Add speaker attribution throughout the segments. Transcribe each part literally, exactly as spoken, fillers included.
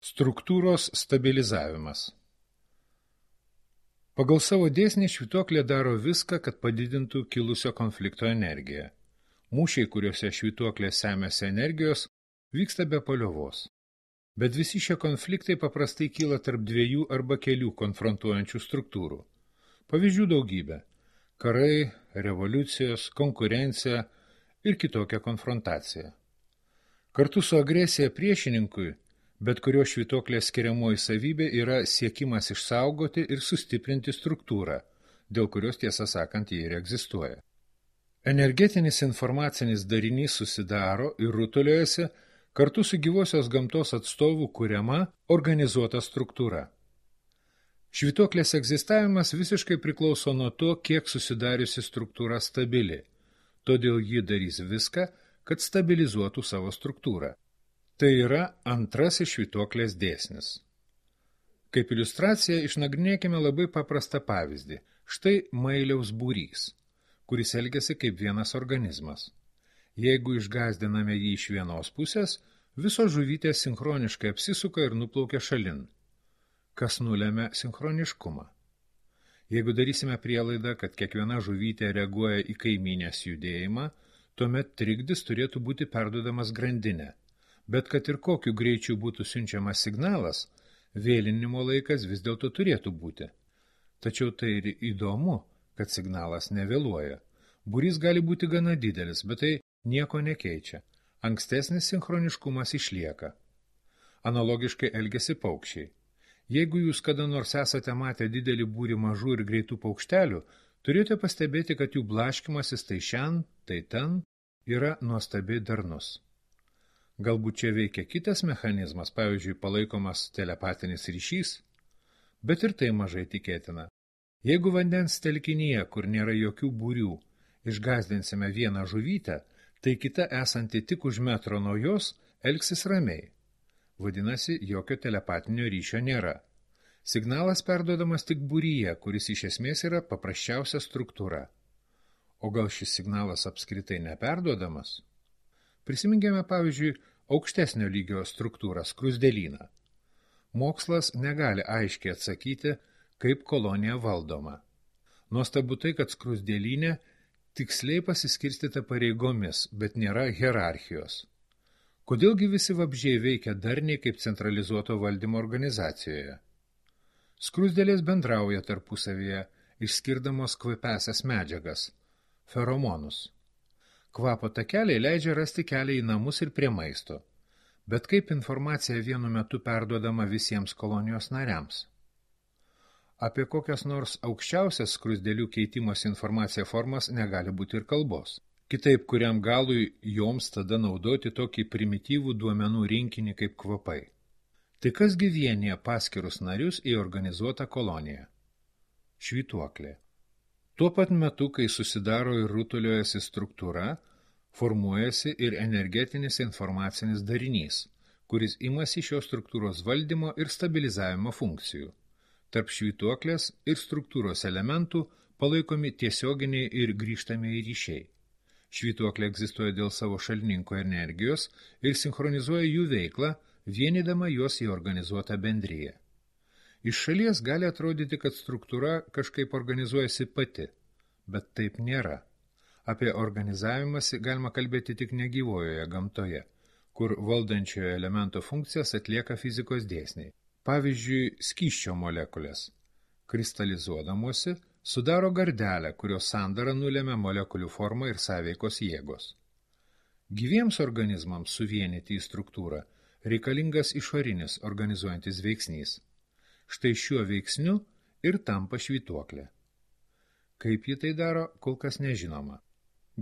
Speaker 1: Struktūros stabilizavimas. Pagal savo dėsnį švytuoklė daro viską, kad padidintų kilusio konflikto energiją. Mūšiai, kuriuose švytuoklė semiasi energijos, vyksta be paliovos. Bet visi šie konfliktai paprastai kyla tarp dviejų arba kelių konfrontuojančių struktūrų. Pavyzdžių daugybė – karai, revoliucijos, konkurencija ir kitokia konfrontacija. Kartu su agresija priešininkui, bet kurio švytuoklės skiriamoji savybė yra siekimas išsaugoti ir sustiprinti struktūrą, dėl kurios tiesą sakant jie ir egzistuoja. Energetinis informacinis darinys susidaro ir rutuliojasi kartu su gyvosios gamtos atstovų kuriama organizuota struktūra. Švytuoklės egzistavimas visiškai priklauso nuo to, kiek susidariusi struktūra stabili, todėl ji darys viską, kad stabilizuotų savo struktūrą. Tai yra antrasis švytuoklės dėsnis. Kaip iliustraciją išnagrinėkime labai paprastą pavyzdį. Štai mailiaus būrys, kuris elgiasi kaip vienas organizmas. Jeigu išgąsdiname jį iš vienos pusės, visos žuvytės sinchroniškai apsisuka ir nuplaukia šalin. Kas nulemia sinchroniškumą? Jeigu darysime prielaidą, kad kiekviena žuvytė reaguoja į kaimynės judėjimą, tuomet trikdis turėtų būti perduodamas grandinę. Bet kad ir kokiu greičiu būtų siunčiamas signalas, vėlinimo laikas vis dėlto turėtų būti. Tačiau tai ir įdomu, kad signalas nevėluoja. Būrys gali būti gana didelis, bet tai nieko nekeičia. Ankstesnis sinchroniškumas išlieka. Analogiškai elgiasi paukščiai. Jeigu jūs kada nors esate matę didelį būrį mažų ir greitų paukštelių, turite pastebėti, kad jų blaškymasis tai šen, tai ten yra nuostabiai darnus. Galbūt čia veikia kitas mechanizmas, pavyzdžiui, palaikomas telepatinis ryšys, bet ir tai mažai tikėtina. Jeigu vandens telkinyje, kur nėra jokių būrių, išgąsdinsime vieną žuvytę, tai kita esanti tik už metro nuo jos elgsis ramiai. Vadinasi, jokio telepatinio ryšio nėra. Signalas perduodamas tik būryje, kuris iš esmės yra paprasčiausia struktūra. O gal šis signalas apskritai neperduodamas? Prisiminkime, pavyzdžiui, aukštesnio lygio struktūrą skruzdėlyną. Mokslas negali aiškiai atsakyti, kaip kolonija valdoma. Nuostabu tai, kad skruzdėlynė tiksliai pasiskirstyta pareigomis, bet nėra hierarchijos. Kodėlgi visi vabzdžiai veikia darniai kaip centralizuoto valdymo organizacijoje? Skruzdėlės bendrauja tarpusavyje, išskirdamos kvapiąsias medžiagas – feromonus. Kvapo takeliai leidžia rasti kelią į namus ir prie maisto. Bet kaip informacija vienu metu perduodama visiems kolonijos nariams? Apie kokias nors aukščiausias skruzdėlių keitimos informacija formas negali būti ir kalbos. Kitaip, kuriam galui joms tada naudoti tokį primityvų duomenų rinkinį kaip kvapai. Tai kasgi vienija paskirus narius į organizuotą koloniją? Švytuoklė. Tuo pat metu, kai susidaro ir rutuliojasi struktūra, formuojasi ir energetinis informacinis darinys, kuris imasi šios struktūros valdymo ir stabilizavimo funkcijų. Tarp švytuoklės ir struktūros elementų palaikomi tiesioginiai ir grįžtamieji ryšiai. Švytuoklė egzistuoja dėl savo šalininko energijos ir sinchronizuoja jų veiklą, vienydama juos į organizuotą bendriją. Iš šalies gali atrodyti, kad struktūra kažkaip organizuojasi pati, bet taip nėra. Apie organizavimąsi galima kalbėti tik negyvojoje gamtoje, kur valdančiojo elemento funkcijas atlieka fizikos dėsniai. Pavyzdžiui, skysčio molekulės. Kristalizuodamosi sudaro gardelę, kurios sandara nulemia molekulių formą ir sąveikos jėgos. Gyviems organizmams suvienyti į struktūrą reikalingas išorinis organizuojantis veiksnys. Štai šiuo veiksniu ir tampa švytuoklė. Kaip ji tai daro, kol kas nežinoma.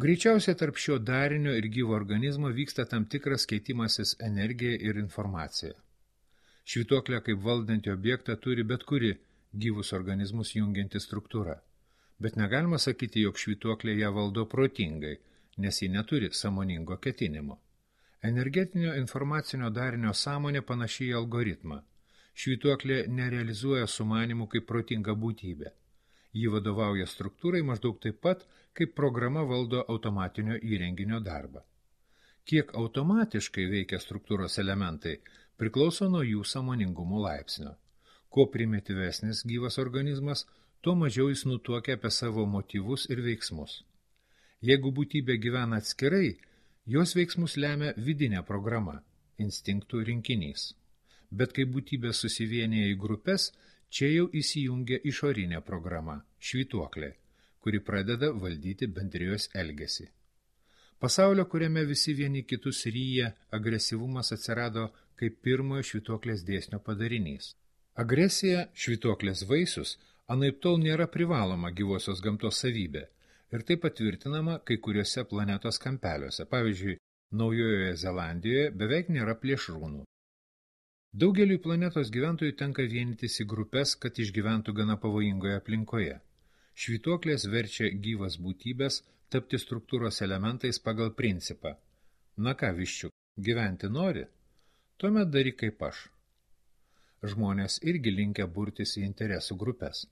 Speaker 1: Greičiausiai tarp šio darinio ir gyvo organizmo vyksta tam tikras keitimasis energija ir informacija. Švytuoklė kaip valdantį objektą turi bet kuri gyvus organizmus jungianti struktūra, bet negalima sakyti, jog švytuoklė ją valdo protingai, nes ji neturi sąmoningo ketinimo. Energetinio informacinio darinio sąmonė panašiai į algoritmą. Švytuoklė nerealizuoja sumanimų kaip protinga būtybė. Ji vadovauja struktūrai maždaug taip pat, kaip programa valdo automatinio įrenginio darbą. Kiek automatiškai veikia struktūros elementai, priklauso nuo jų sąmoningumo laipsnio. Kuo primityvesnis gyvas organizmas, tuo mažiau jis nutuokia apie savo motyvus ir veiksmus. Jeigu būtybė gyvena atskirai, jos veiksmus lemia vidinė programa, instinktų rinkinys. Bet kai būtybė susivienyje į grupės, čia jau įsijungia išorinė programa, švytuoklė, kuri pradeda valdyti bendrijos elgesį. Pasaulio, kuriame visi vieni kitus ryja, agresyvumas atsirado kaip pirmojo švytuoklės dėsnio padarinys. Agresija, švytuoklės vaisius, anaiptol nėra privaloma gyvosios gamtos savybė ir tai patvirtinama kai kuriuose planetos kampeliuose. Pavyzdžiui, Naujojoje Zelandijoje beveik nėra plėšrūnų. Daugeliui planetos gyventojų tenka vienytis į grupės, kad išgyventų gana pavojingoje aplinkoje. Švytuoklės verčia gyvas būtybės tapti struktūros elementais pagal principą. Na ką, viščiuk, gyventi nori? Tuomet daryk kaip aš. Žmonės irgi linkę burtis į interesų grupės.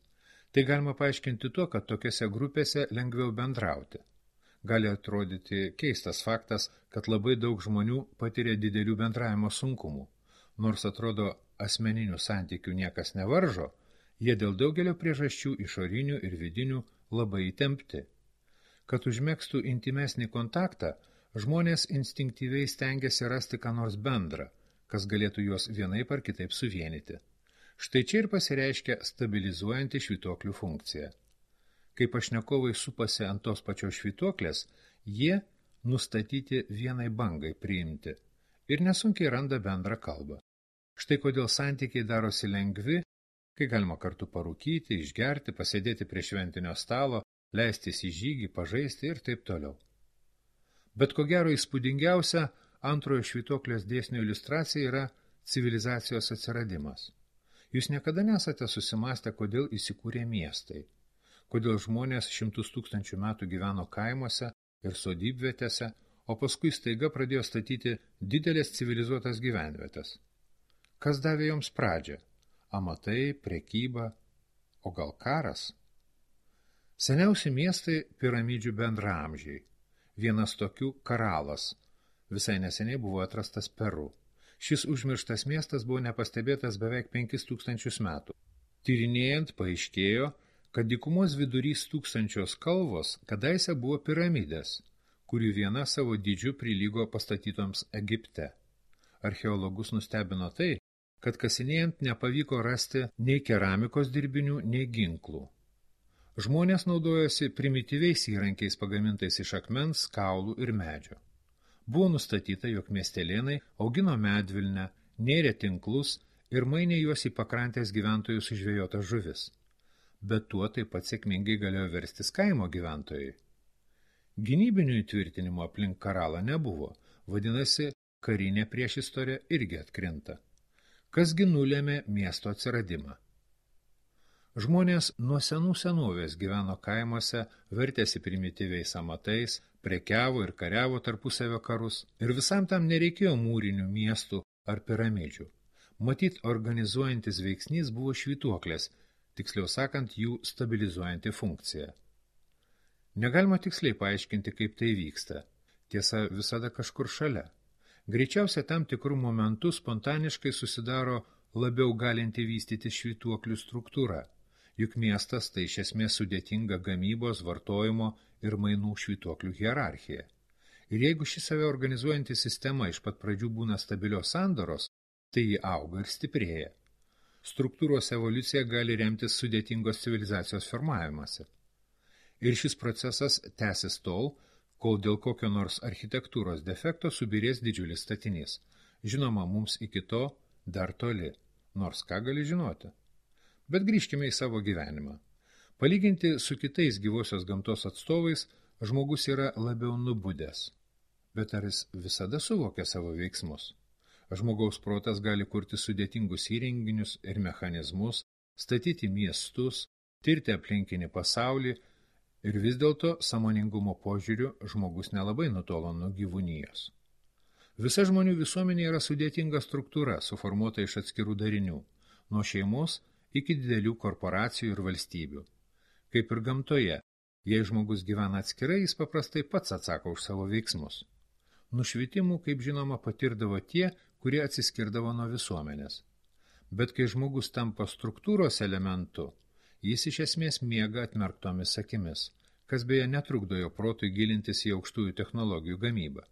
Speaker 1: Tai galima paaiškinti tuo, kad tokiose grupėse lengviau bendrauti. Gali atrodyti keistas faktas, kad labai daug žmonių patiria didelių bendravimo sunkumų. Nors atrodo asmeninių santykių niekas nevaržo, jie dėl daugelio priežasčių išorinių ir vidinių labai įtempti. Kad užmegztų intimesnį kontaktą, žmonės instinktyviai stengiasi rasti ką nors bendrą, kas galėtų juos vienaip ar kitaip suvienyti. Štai čia ir pasireiškia stabilizuojanti švytuoklių funkcija. Kai pašnekovai supasi ant tos pačios švytuoklės, jie nustatyti vienai bangai priimti ir nesunkiai randa bendrą kalbą. Štai kodėl santykiai darosi lengvi, kai galima kartu parūkyti, išgerti, pasėdėti prie šventinio stalo, leistis į žygį, pažaisti ir taip toliau. Bet ko gero įspūdingiausia antrojo švytuoklės dėsnio iliustracija yra civilizacijos atsiradimas. Jūs niekada nesate susimąstę, kodėl įsikūrė miestai, kodėl žmonės šimtus tūkstančių metų gyveno kaimuose ir sodybvietėse, o paskui staiga pradėjo statyti didelės civilizuotas gyvenvietes. Kas davė joms pradžią? Amatai, prekyba, o gal karas? Seniausi miestai piramidžių bendraamžiai. Vienas tokių Karalas. Visai neseniai buvo atrastas Peru. Šis užmirštas miestas buvo nepastebėtas beveik penkis tūkstančius metų. Tyrinėjant paaiškėjo, kad dykumos vidurys tūkstančios kalvos kadaise buvo piramidės, kurių viena savo dydžiu prilygo pastatytoms Egipte. Archeologus nustebino tai, kad kasinėjant nepavyko rasti nei keramikos dirbinių, nei ginklų. Žmonės naudojosi primityviais įrankiais pagamintais iš akmens, kaulų ir medžio. Buvo nustatyta, jog miestelėnai augino medvilnę, nėrė tinklus ir mainė juos į pakrantės gyventojų sužvėjotas žuvis. Bet tuo taip pat sėkmingai galėjo verstis kaimo gyventojai. Gynybinių įtvirtinimų aplink Karalą nebuvo, vadinasi, karinė priešistorė irgi atkrinta. Kasgi nulėmė miesto atsiradimą? Žmonės nuo senų senovės gyveno kaimuose, vertėsi primityviais amatais, prekiavo ir kariavo tarpusavio karus, ir visam tam nereikėjo mūrinių miestų ar piramidžių. Matyt, organizuojantis veiksnys buvo švytuoklės, tiksliau sakant, jų stabilizuojanti funkcija. Negalima tiksliai paaiškinti, kaip tai vyksta. Tiesa, visada kažkur šalia. Greičiausia, tam tikrų momentų spontaniškai susidaro labiau galinti vystyti švytuoklių struktūra, juk miestas tai iš esmės sudėtinga gamybos, vartojimo ir mainų švytuoklių hierarchija. Ir jeigu ši save organizuojanti sistema iš pat pradžių būna stabilios sandaros, tai ji auga ir stiprėja. Struktūros evoliucija gali remtis sudėtingos civilizacijos formavimąsi. Ir šis procesas tęsis tol, kol dėl kokio nors architektūros defekto subirės didžiulis statinys. Žinoma, mums iki to dar toli, nors ką gali žinoti. Bet grįžkime į savo gyvenimą. Palyginti su kitais gyvosios gamtos atstovais, žmogus yra labiau nubudęs. Bet ar jis visada suvokia savo veiksmus? Žmogaus protas gali kurti sudėtingus įrenginius ir mechanizmus, statyti miestus, tirti aplinkinį pasaulį, ir vis dėlto sąmoningumo požiūriu žmogus nelabai nutolo nuo gyvūnijos. Visa žmonių visuomenė yra sudėtinga struktūra, suformuota iš atskirų darinių, nuo šeimos iki didelių korporacijų ir valstybių. Kaip ir gamtoje, jei žmogus gyvena atskirai, jis paprastai pats atsako už savo veiksmus. Nušvitimų, kaip žinoma, patirdavo tie, kurie atsiskirdavo nuo visuomenės. Bet kai žmogus tampa struktūros elementu, jis iš esmės miega atmerktomis akimis, kas beje netrukdo jo protui gilintis į aukštųjų technologijų gamybą.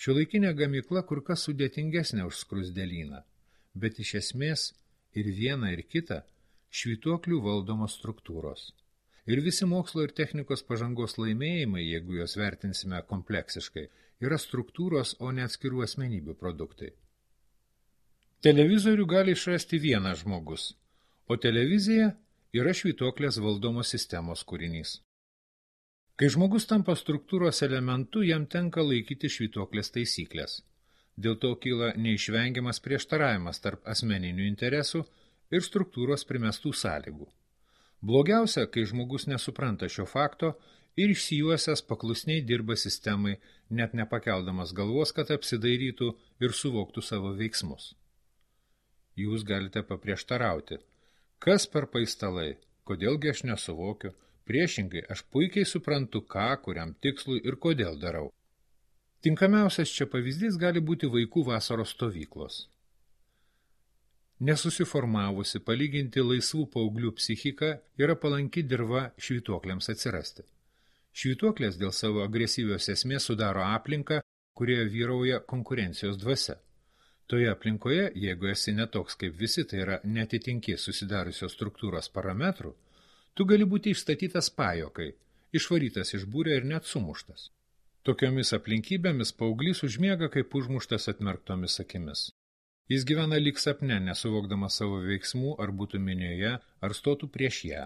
Speaker 1: Šiuolaikinė gamykla kur kas sudėtingesnė už skruzdėlyną, bet iš esmės ir viena ir kita švytuoklių valdomos struktūros. Ir visi mokslo ir technikos pažangos laimėjimai, jeigu juos vertinsime kompleksiškai, yra struktūros, o ne atskirų asmenybių produktai. Televizorių gali išrasti vienas žmogus, o televizija yra švytuoklės valdomos sistemos kūrinys. Kai žmogus tampa struktūros elementu, jam tenka laikyti švytuoklės taisyklės. Dėl to kyla neišvengiamas prieštaravimas tarp asmeninių interesų ir struktūros primestų sąlygų. Blogiausia, kai žmogus nesupranta šio fakto ir išsijuosęs paklusniai dirba sistemai, net nepakeldamas galvos, kad apsidairytų ir suvoktų savo veiksmus. Jūs galite paprieštarauti. Kas per paistalai? Kodėlgi aš nesuvokiu? Priešingai, aš puikiai suprantu, ką, kuriam tikslui ir kodėl darau. Tinkamiausias čia pavyzdys gali būti vaikų vasaros stovyklos. Nesusiformavusi palyginti laisvų paauglių psichika yra palanki dirva švytuokliams atsirasti. Švytuoklės dėl savo agresyvios esmės sudaro aplinką, kurioje vyrauja konkurencijos dvasia. Toje aplinkoje, jeigu esi netoks kaip visi, tai yra netitinki susidariusios struktūros parametrų, tu gali būti išstatytas pajokai, išvarytas iš būrio ir net sumuštas. Tokiomis aplinkybėmis paauglys užmiega kaip užmuštas atmerktomis akimis. Jis gyvena lyg sapne, nesuvokdamas savo veiksmų, ar būtų minioje, ar stotų prieš ją.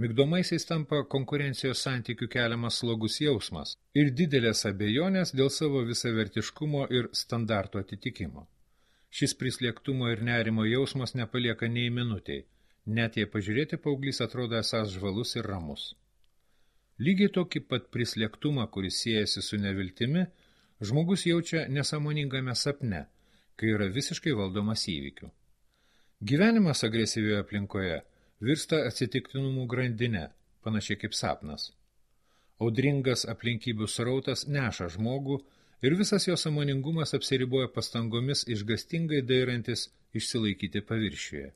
Speaker 1: Migdomaisiais tampa konkurencijos santykių keliamas slogus jausmas ir didelės abejonės dėl savo visavertiškumo ir standarto atitikimo. Šis prislėgtumo ir nerimo jausmas nepalieka nei minutei, net jei pažiūrėti paauglys atrodo esąs žvalus ir ramus. Lygiai tokį pat prislėgtumą, kuris siejasi su neviltimi, žmogus jaučia nesąmoningame sapne, kai yra visiškai valdomas įvykių. Gyvenimas agresyvioje aplinkoje virsta atsitiktinumų grandine, panašiai kaip sapnas. Audringas aplinkybių srautas neša žmogų ir visas jo sąmoningumas apsiriboja pastangomis išgastingai dairantis išsilaikyti paviršiuje.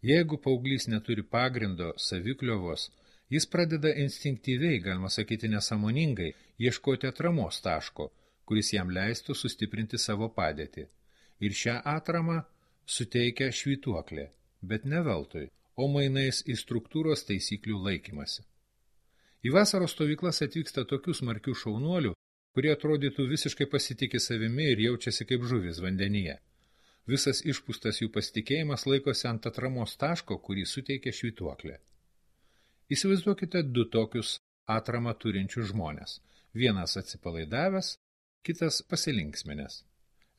Speaker 1: Jeigu paauglys neturi pagrindo, savikliovos, jis pradeda instinktyviai, galima sakyti nesąmoningai, ieškoti atramos taško, kuris jam leistų sustiprinti savo padėtį. Ir šią atramą suteikia švytuoklė, bet ne veltui, o mainais į struktūros taisyklių laikymasi. Į vasaros stovyklas atvyksta tokių smarkių šaunuolių, kurie atrodytų visiškai pasitikė savimi ir jaučiasi kaip žuvis vandenyje. Visas išpūstas jų pasitikėjimas laikosi ant atramos taško, kurį suteikia švytuoklė. Įsivaizduokite du tokius atramą turinčius žmonės. Vienas atsipalaidavęs, kitas pasilinksminęs.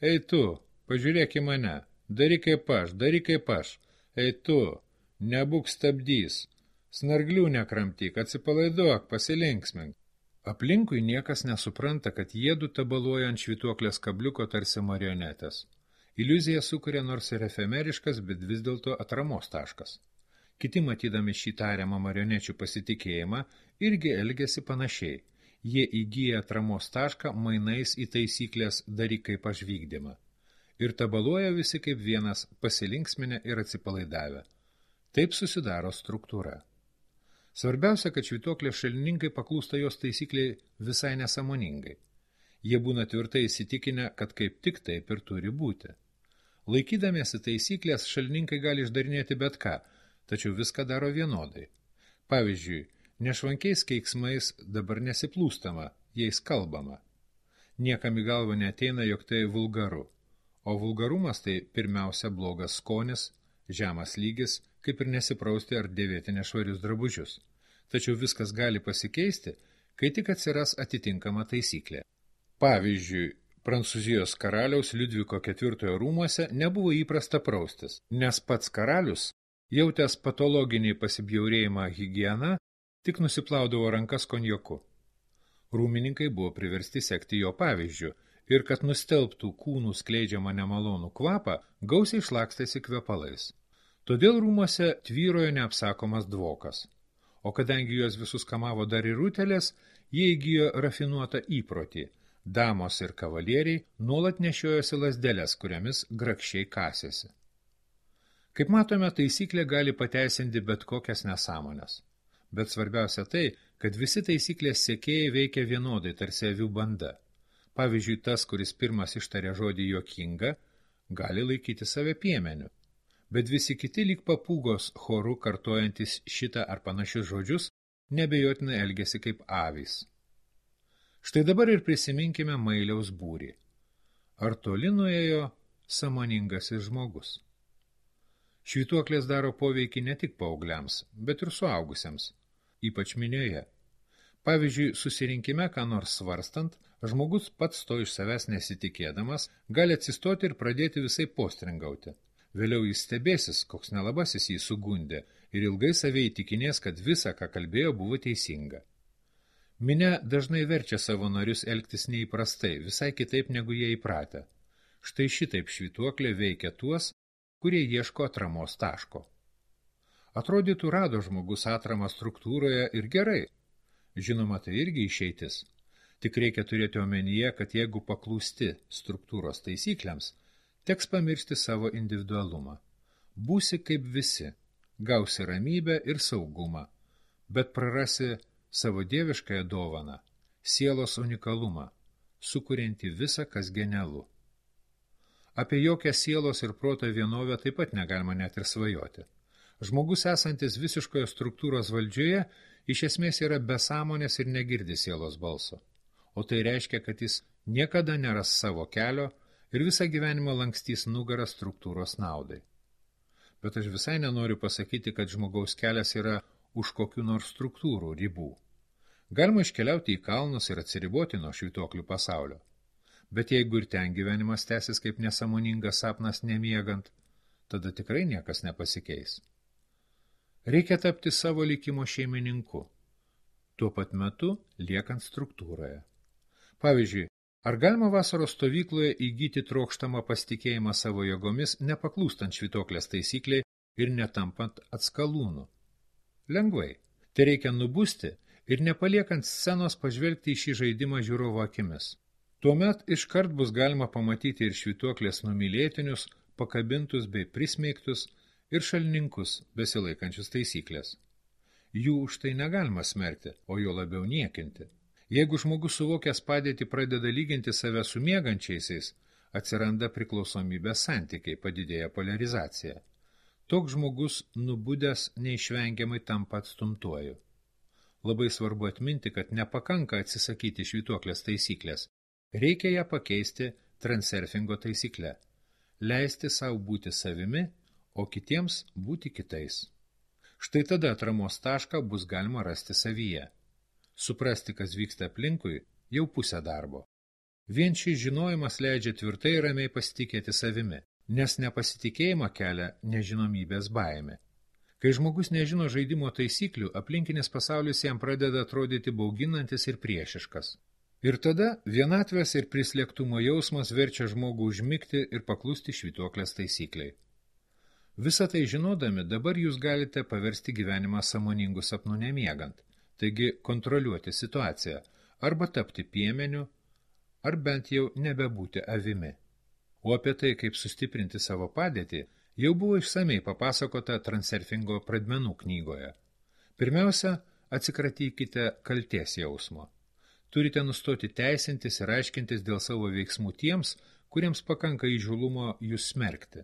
Speaker 1: Ei tu, pažiūrėk į mane, daryk kaip aš, daryk kaip aš. Ei tu, nebūk stabdys, snarglių nekramtyk, atsipalaiduok, pasilinksmink. Aplinkui niekas nesupranta, kad jiedu tabaluoja ant švytuoklės kabliuko tarsi marionetės. Iliuzija sukuria nors ir efemeriškas, bet vis dėlto atramos taškas. Kiti, matydami šį tariamą marionečių pasitikėjimą, irgi elgiasi panašiai. Jie įgyja atramos tašką mainais į taisyklės daryk kaip aš vykdymą. Ir tabaluoja visi kaip vienas pasilinksminę ir atsipalaidavę. Taip susidaro struktūra. Svarbiausia, kad švytuoklės šalininkai paklūsta jos taisykliai visai nesąmoningai. Jie būna tvirtai įsitikinę, kad kaip tik taip ir turi būti. Laikydamiesi taisyklės, šalininkai gali išdarinėti bet ką, tačiau viską daro vienodai. Pavyzdžiui, nešvankiais keiksmais dabar nesiplūstama, jais kalbama. Niekam į galvą neateina, jog tai vulgaru. O vulgarumas tai pirmiausia blogas skonis, žemas lygis, kaip ir nesiprausti ar dėvėti nešvarius drabužius. Tačiau viskas gali pasikeisti, kai tik atsiras atitinkama taisyklė. Pavyzdžiui, Prancūzijos karaliaus Liudviko ketvirtojo rūmuose nebuvo įprasta praustis, nes pats karalius, jautęs patologinį pasibjaurėjimą higieną, tik nusiplaudavo rankas konjaku. Rūmininkai buvo priversti sekti jo pavyzdžiu ir kad nustelbtų kūnų skleidžiamą nemalonų kvapą, gausiai šlakstėsi kvepalais. Todėl rūmuose tvyrojo neapsakomas dvokas. O kadangi juos visus kamavo dar ir rutelės, jie įgijo rafinuotą įprotį Damos ir kavalieriai nuolat nešiojosi lazdeles, kuriamis grakščiai kasėsi. Kaip matome, taisyklė gali pateisinti bet kokias nesąmones. Bet svarbiausia tai, kad visi taisyklės sekėjai veikia vienodai, tarsi avių banda. Pavyzdžiui, tas, kuris pirmas ištarė žodį juokinga, gali laikyti save piemeniu. Bet visi kiti lyg papūgos choru kartojantis šitą ar panašius žodžius, nebejotinai elgiasi kaip avys. Štai dabar ir prisiminkime Mailiaus būrį. Ar toli nuėjo sąmoningasis žmogus? Švytuoklės daro poveikį ne tik paaugliams, bet ir suaugusiems, ypač minioje. Pavyzdžiui, susirinkime, ką nors svarstant, žmogus pats to iš savęs nesitikėdamas, gali atsistoti ir pradėti visai postringauti. Vėliau jis stebėsis, koks nelabasis jį sugundė, ir ilgai save įtikinės, kad visa, ką kalbėjo, buvo teisinga. Minia dažnai verčia savo narius elgtis neįprastai, visai kitaip negu jie įpratę. Štai šitaip švytuoklė veikia tuos, kurie ieško atramos taško. Atrodytų, rado žmogus atramą struktūroje ir gerai. Žinoma, tai irgi išeitis. Tik reikia turėti omenyje, kad jeigu paklūsti struktūros taisyklėms, teks pamiršti savo individualumą. Būsi kaip visi, gausi ramybę ir saugumą, bet prarasi savo dieviškąją dovaną, sielos unikalumą, sukurianti visą, kas genialu. Apie jokią sielos ir proto vienovę taip pat negalima net ir svajoti. Žmogus esantis visiškoje struktūros valdžioje iš esmės yra be sąmonės ir negirdi sielos balso. O tai reiškia, kad jis niekada neras savo kelio ir visą gyvenimą lankstys nugarą struktūros naudai. Bet aš visai nenoriu pasakyti, kad žmogaus kelias yra už kokių nors struktūrų ribų. Galima iškeliauti į kalnus ir atsiriboti nuo švytuoklių pasaulio. Bet jeigu ir ten gyvenimas tęsis kaip nesąmoningas sapnas nemiegant, tada tikrai niekas nepasikeis. Reikia tapti savo likimo šeimininku, tuo pat metu liekant struktūroje. Pavyzdžiui, ar galima vasaros stovykloje įgyti trokštamą pasitikėjimą savo jėgomis, nepaklūstant švytuoklės taisykliai ir netampant atskalūnų? Lengvai. Tai reikia nubusti ir nepaliekant scenos pažvelgti į šį žaidimą žiūrovo akimis. Tuomet iškart bus galima pamatyti ir švytuoklės numylėtinius, pakabintus bei prismeigtus ir šalininkus besilaikančius taisyklės. Jų už tai negalima smerkti, o jo labiau niekinti. Jeigu žmogus suvokęs padėtį pradeda lyginti save su miegančiaisiais, atsiranda priklausomybės santykiai, padidėja poliarizacija. Toks žmogus nubudęs neišvengiamai tampa atstumtuoju. Labai svarbu atminti, kad nepakanka atsisakyti švytuoklės taisyklės. Reikia ją pakeisti transurfingo taisykle. Leisti savo būti savimi, o kitiems būti kitais. Štai tada atramos tašką bus galima rasti savyje. Suprasti, kas vyksta aplinkui, jau pusė darbo. Vien šis žinojimas leidžia tvirtai ir ramiai pasitikėti savimi, nes nepasitikėjimą kelia nežinomybės baimė. Kai žmogus nežino žaidimo taisyklių, aplinkinis pasaulis jam pradeda atrodyti bauginantis ir priešiškas. Ir tada vienatvės ir prislėgtumo jausmas verčia žmogų užmigti ir paklusti švytuoklės taisykliai. Visą tai žinodami, dabar jūs galite paversti gyvenimą sąmoningų sapnų nemiegant, taigi kontroliuoti situaciją, arba tapti piemeniu, ar bent jau nebebūti avimi. O apie tai, kaip sustiprinti savo padėtį, jau buvo išsamei papasakota transurfingo pradmenų knygoje. Pirmiausia, atsikratykite kaltės jausmo. Turite nustoti teisintis ir aiškintis dėl savo veiksmų tiems, kuriems pakanka įžūlumo jūs smerkti.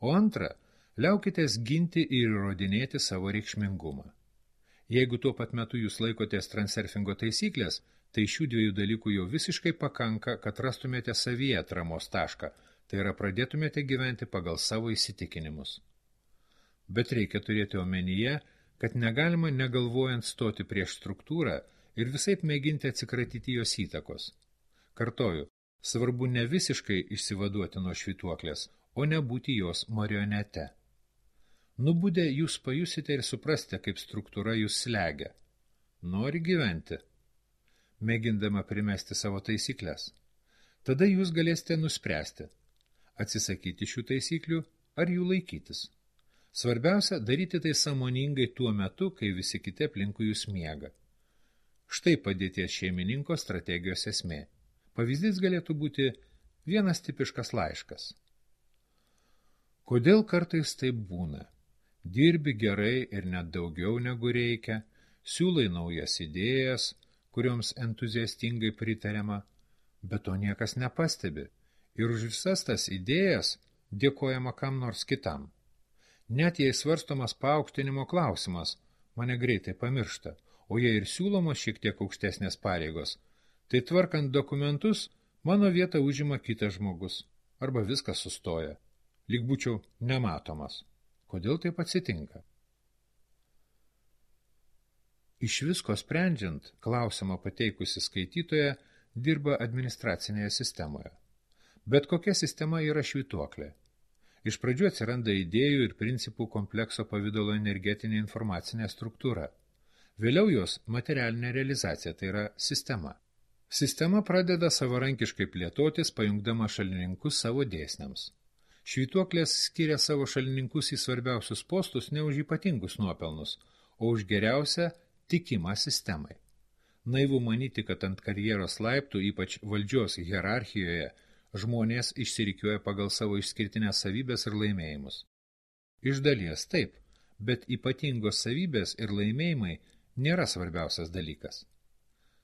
Speaker 1: O antra, liaukitės ginti ir įrodinėti savo reikšmingumą. Jeigu tuo pat metu jūs laikotės transurfingo taisyklės, tai šių dviejų dalykų jau visiškai pakanka, kad rastumėte savyje atramos tašką, tai yra pradėtumėte gyventi pagal savo įsitikinimus. Bet reikia turėti omenyje, kad negalima negalvojant stoti prieš struktūrą ir visaip mėginti atsikratyti jos įtakos. Kartoju, svarbu ne visiškai išsivaduoti nuo švytuoklės, o nebūti jos marionete. Nubudę jūs pajusite ir suprasite, kaip struktūra jūs slegia. Nori gyventi, mėgindama primesti savo taisyklės. Tada jūs galėsite nuspręsti, atsisakyti šių taisyklių ar jų laikytis. Svarbiausia, daryti tai sąmoningai tuo metu, kai visi kiti aplinkui jūs miega. Štai padėties šeimininko strategijos esmė. Pavyzdys galėtų būti vienas tipiškas laiškas. Kodėl kartais taip būna? Dirbi gerai ir net daugiau negu reikia, siūlai naujas idėjas, kurioms entuziastingai pritariama, bet to niekas nepastebi ir už visas tas idėjas dėkojama kam nors kitam. Net jei svarstomas paaukštinimo klausimas, mane greitai pamiršta, o jei ir siūlomos šiek tiek aukštesnės pareigos, tai tvarkant dokumentus mano vietą užima kitas žmogus, arba viskas sustoja, lyg būčiau nematomas. Kodėl taip atsitinka? Iš visko sprendžiant, klausimą pateikusi skaitytoja dirba administracinėje sistemoje. Bet kokia sistema yra švytuoklė? Iš pradžių atsiranda idėjų ir principų komplekso pavidalo energetinė informacinė struktūra. Vėliau jos materialinė realizacija, tai yra sistema. Sistema pradeda savarankiškai plėtotis, pajungdama šalininkus savo dėsniams. Švytuoklės skiria savo šalininkus į svarbiausius postus ne už ypatingus nuopelnus, o už geriausią tikimą sistemai. Naivu manyti, kad ant karjeros laiptų, ypač valdžios hierarchijoje, žmonės išsirikiuoja pagal savo išskirtinės savybės ir laimėjimus. Iš dalies taip, bet ypatingos savybės ir laimėjimai nėra svarbiausias dalykas.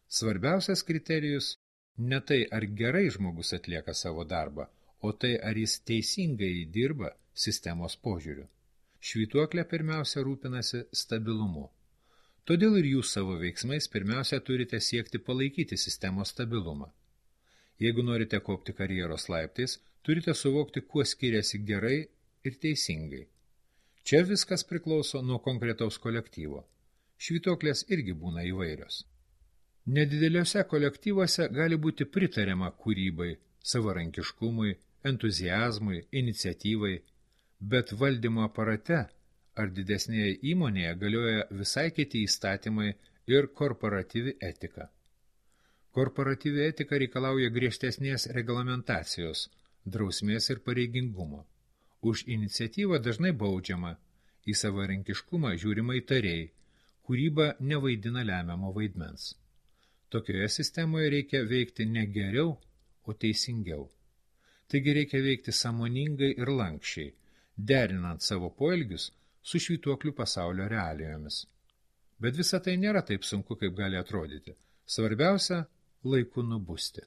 Speaker 1: Svarbiausias kriterijus ne tai, ar gerai žmogus atlieka savo darbą, o tai, ar jis teisingai dirba sistemos požiūriu. Švytuoklė pirmiausia rūpinasi stabilumu. Todėl ir jūs savo veiksmais pirmiausia turite siekti palaikyti sistemos stabilumą. Jeigu norite kopti karjeros laiptais, turite suvokti, kuo skiriasi gerai ir teisingai. Čia viskas priklauso nuo konkretaus kolektyvo. Švytuoklės irgi būna įvairios. Nedideliuose kolektyvuose gali būti pritariama kūrybai, savarankiškumui, entuziazmui, iniciatyvai, bet valdymo aparate ar didesnėje įmonėje galioja visai kiti įstatymai ir korporatyvi etika. Korporatyvi etika reikalauja griežtesnės reglamentacijos, drausmės ir pareigingumo. Už iniciatyvą dažnai baudžiama, į savarankiškumą žiūrima įtariai, kūryba nevaidina lemiamo vaidmens. Tokioje sistemoje reikia veikti ne geriau, o teisingiau. Taigi reikia veikti sąmoningai ir lankščiai, derinant savo poelgius su švytuoklių pasaulio realijomis. Bet visa tai nėra taip sunku, kaip gali atrodyti. Svarbiausia – laiku nubusti.